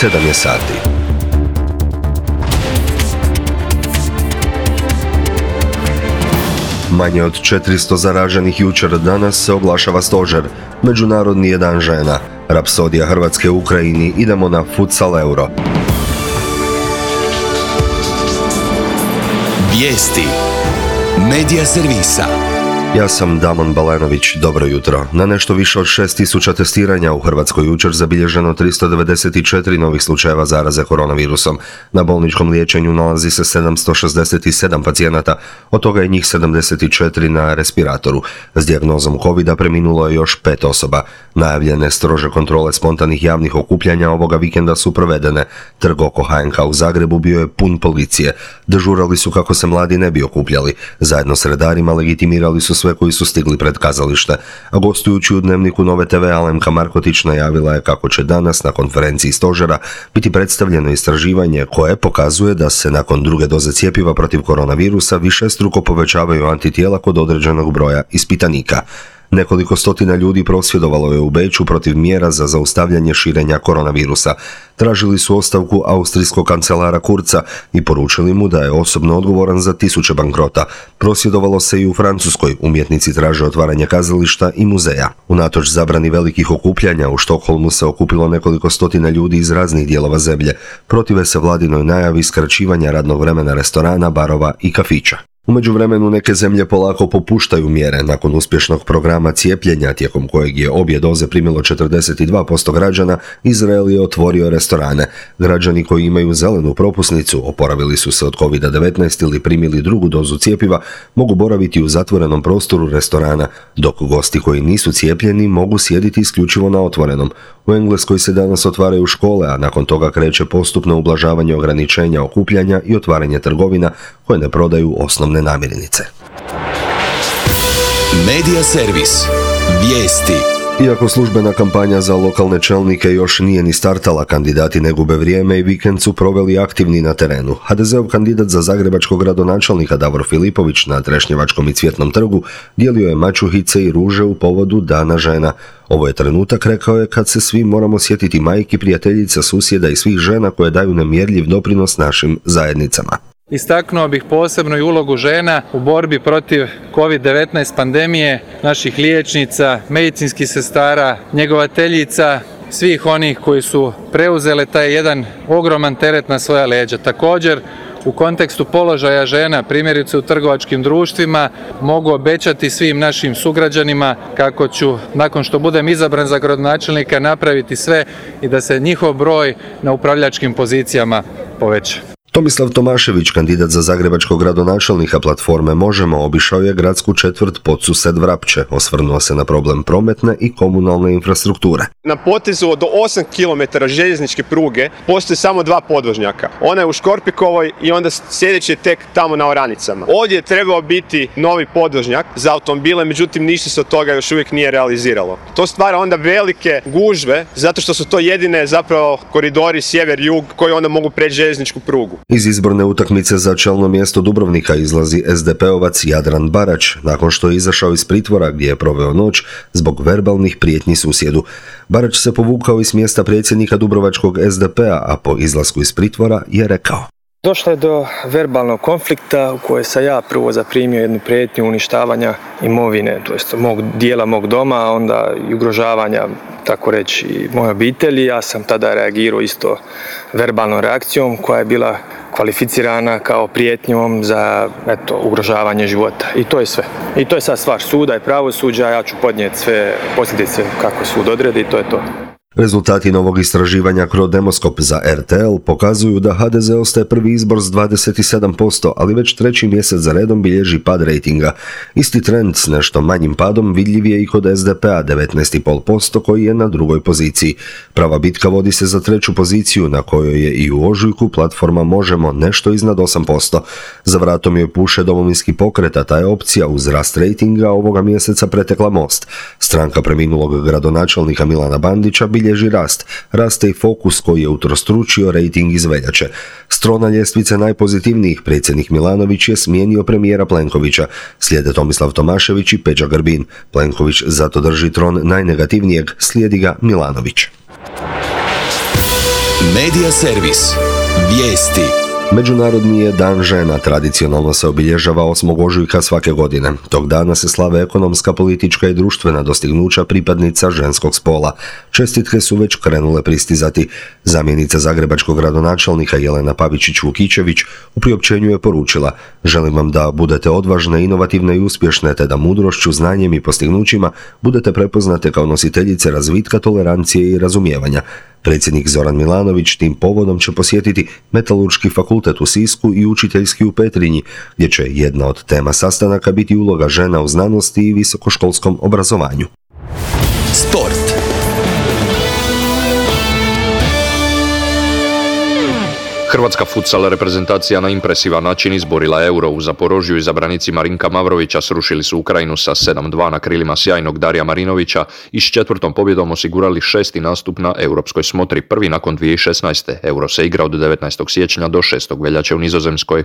7 je sati. Manje od 400 zaraženih jučer, danas se oglašava stožer. Međunarodni je dan žena. Rapsodija Hrvatske u Ukrajini, idemo na futsal euro. Vijesti Medija servisa. Ja sam Damon Balenović, dobro jutro. Na nešto više od 6.000 testiranja u Hrvatskoj jučer zabilježeno 394 novih slučajeva zaraze koronavirusom. Na bolničkom liječenju nalazi se 767 pacijenata, od toga je njih 74 na respiratoru. S dijagnozom covida preminulo je još 5 osoba. Najavljene strože kontrole spontanih javnih okupljanja ovoga vikenda su provedene. Trg oko HNK u Zagrebu bio je pun policije. Dežurali su kako se mladi ne bi okupljali. Zajedno s redarima legitimirali su sve koji su stigli pred kazalište, a gostujući u Dnevniku Nove TV Alemka Markotić najavila je kako će danas na konferenciji stožera biti predstavljeno istraživanje koje pokazuje da se nakon druge doze cjepiva protiv koronavirusa višestruko povećavaju antitijela kod određenog broja ispitanika. Nekoliko stotina ljudi prosvjedovalo je u Beču protiv mjera za zaustavljanje širenja koronavirusa. Tražili su ostavku austrijskog kancelara Kurza i poručili mu da je osobno odgovoran za tisuće bankrota. Prosvjedovalo se i u Francuskoj, umjetnici traže otvaranje kazališta i muzeja. Unatoč zabrani velikih okupljanja, u Štokholmu se okupilo nekoliko stotina ljudi iz raznih dijelova zemlje. Protive se vladinoj najavi skraćivanja radnog vremena restorana, barova i kafića. U međuvremenu neke zemlje polako popuštaju mjere. Nakon uspješnog programa cijepljenja, tijekom kojeg je obje doze primilo 42% građana, Izrael je otvorio restorane. Građani koji imaju zelenu propusnicu, oporavili su se od COVID-19 ili primili drugu dozu cjepiva, mogu boraviti u zatvorenom prostoru restorana, dok gosti koji nisu cijepljeni mogu sjediti isključivo na otvorenom. U Engleskoj se danas otvaraju škole, a nakon toga kreće postupno ublažavanje ograničenja okupljanja i otvaranje trgovina koje ne prodaju osnovne namirnice. Medija servis. Vijesti. Iako službena kampanja za lokalne čelnike još nije ni startala, kandidati ne gube vrijeme i vikend su proveli aktivni na terenu. HDZ-ov kandidat za zagrebačkog gradonačelnika Davor Filipović na Trešnjevačkom i Cvjetnom trgu dijelio je mačuhice i ruže u povodu Dana žena. Ovo je trenutak, rekao je, kad se svi moramo sjetiti majki, prijateljica, susjeda i svih žena koje daju nemjerljiv doprinos našim zajednicama. Istaknuo bih posebno i ulogu žena u borbi protiv COVID-19 pandemije, naših liječnica, medicinskih sestara, njegovateljica, svih onih koji su preuzele taj jedan ogroman teret na svoja leđa. Također, u kontekstu položaja žena, primjerice u trgovačkim društvima, mogu obećati svim našim sugrađanima kako ću, nakon što budem izabran za gradonačelnika, napraviti sve i da se njihov broj na upravljačkim pozicijama poveća. Tomislav Tomašević, kandidat za zagrebačkog gradonačelnika platforme Možemo, obišao je gradsku četvrt Podsused Vrapče, osvrnuo se na problem prometne i komunalne infrastrukture. Na potezu od 8 km željezničke pruge postoje samo 2 podvožnjaka. Ona je u Škorpikovoj i onda sljedeći je tek tamo na Oranicama. Ovdje je trebao biti novi podvožnjak za automobile, međutim ništa se od toga još uvijek nije realiziralo. To stvara onda velike gužve, zato što su to jedine zapravo koridori sjever-jug koji onda mogu preći željezničku prugu. Iz izborne utakmice za čelno mjesto Dubrovnika izlazi SDP-ovac Jadran Barać, nakon što je izašao iz pritvora gdje je proveo noć zbog verbalnih prijetnji susjedu. Barać se povukao iz mjesta predsjednika dubrovačkog SDP-a, a po izlasku iz pritvora je rekao: Došlo je do verbalnog konflikta u kojoj sam ja prvo zaprimio jednu prijetnju uništavanja imovine, to jest dijela mog doma, a onda i ugrožavanja, tako reći, moje obitelji. Ja sam tada reagirao isto verbalnom reakcijom koja je bila kvalificirana kao prijetnjom za ugrožavanje života. I to je sve. I to je sad stvar suda i pravosuđa, ja ću podnijeti sve posljedice kako sud odredi i to je to. Rezultati novog istraživanja Crodemoskop za RTL pokazuju da HDZ ostaje prvi izbor s 27%, ali već treći mjesec za redom bilježi pad rejtinga. Isti trend s nešto manjim padom vidljiv je i kod SDP-a 19,5% koji je na drugoj poziciji. Prava bitka vodi se za treću poziciju na kojoj je i u ožujku platforma Možemo nešto iznad 8%. Za vratom joj puše Domovinski pokret, a ta je opcija uz rast rejtinga ovoga mjeseca pretekla Most. Stranka preminulog gradonačelnika Milana Bandića bilježi rast. Raste i Fokus koji je utrostručio rejting iz veljače. S trona ljestvice najpozitivnijih predsjednik Milanović je smijenio premijera Plenkovića. Slijede Tomislav Tomašević i Peđa Grbin. Plenković zato drži tron najnegativnijeg, slijedi ga Milanović. Medija servis. Vijesti. Međunarodni je dan žena, tradicionalno se obilježava 8. ožujka svake godine. Tog dana se slave ekonomska, politička i društvena dostignuća pripadnica ženskog spola. Čestitke su već krenule pristizati. Zamjenica zagrebačkog gradonačelnika Jelena Pavičić-Vukičević u priopćenju je poručila: želim vam da budete odvažne, inovativne i uspješne, te da mudrošću, znanjem i postignućima budete prepoznate kao nositeljice razvitka, tolerancije i razumijevanja. Predsjednik Zoran Milanović tim povodom će posjetiti Metalurški fakultet u Sisku i Učiteljski u Petrinji, gdje će jedna od tema sastanaka biti uloga žena u znanosti i visokoškolskom obrazovanju. Sport. Hrvatska futsal reprezentacija na impresivan način izborila Euro. U Zaporožju izabranici Marinka Mavrovića srušili su Ukrajinu sa 7-2 na krilima sjajnog Darija Marinovića i s 4. pobjedom osigurali 6. nastup na europskoj smotri, prvi nakon 2016. Euro se igra od 19. siječnja do 6. veljače u Nizozemskoj.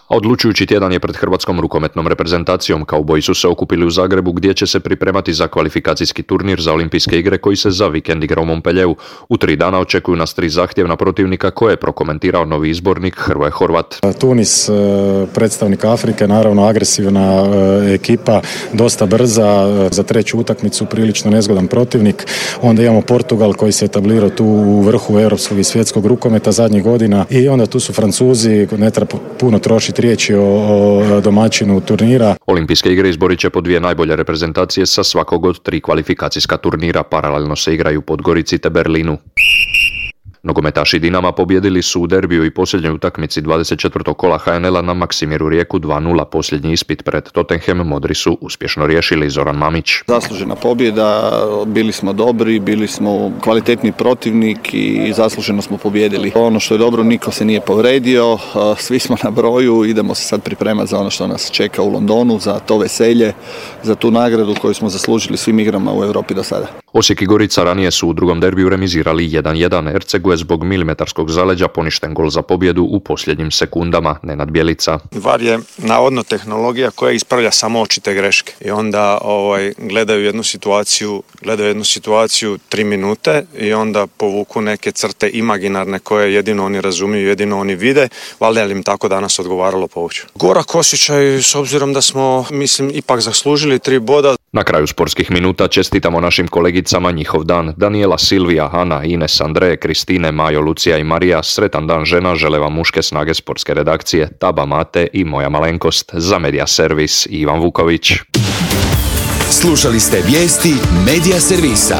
A odlučujući tjedan je pred hrvatskom rukometnom reprezentacijom. Kauboji su se okupili u Zagrebu, gdje će se pripremati za kvalifikacijski turnir za olimpijske igre koji se za vikend igra u Montpellieru. U 3 dana očekuju nas 3 zahtjevna protivnika, koje je prokomentirao novi izbornik Hrvoje Horvat. Tunis, predstavnik Afrike, naravno agresivna ekipa, dosta brza, za 3. utakmicu prilično nezgodan protivnik. Onda imamo Portugal koji se etablirao tu u vrhu europskog i svjetskog rukometa zadnjih godina, i onda tu su Francuzi, ne treba puno trošiti riječi o domaćinu turnira. Olimpijske igre izborit će po 2 najbolje reprezentacije sa svakog od 3 kvalifikacijska turnira. Paralelno se igraju u Podgorici te Berlinu. Nogometaši Dinama pobjedili su u derbiju i posljednjoj utakmici 24. kola HNL-a na Maksimiru Rijeku 2-0. Posljednji ispit pred Tottenham modri su uspješno riješili. Zoran Mamić. Zaslužena pobjeda, bili smo dobri, bili smo kvalitetni protivnik i zasluženo smo pobjedili. Ono što je dobro, niko se nije povredio, svi smo na broju, idemo se sad pripremati za ono što nas čeka u Londonu, za to veselje, za tu nagradu koju smo zaslužili svim igrama u Europi do sada. Osijek i Gorica ranije su u drugom derbiju remizirali 1-1. Ercegu je zbog milimetarskog zaleđa poništen gol za pobjedu u posljednjim sekundama. Nenad Bjelica. VAR je navodno tehnologija koja ispravlja samo očite greške i onda gledaju jednu situaciju 3 minute i onda povuku neke crte imaginarne koje jedino oni razumiju, jedino oni vide. Valjda je im tako danas odgovaralo povući. Gorak osjećaj s obzirom da smo, ipak zaslužili 3 boda. Na kraju sportskih minuta čestitamo našim kolegicama njihov dan. Daniela, Silvija, Ana, Ines, Andreje, Kristine, Majo, Lucija i Marija. Sretan dan žena žele vam muške snage sportske redakcije Taba, Mate i moja malenkost. Za Medija servis Ivan Vuković. Slušali ste vijesti Medija servisa.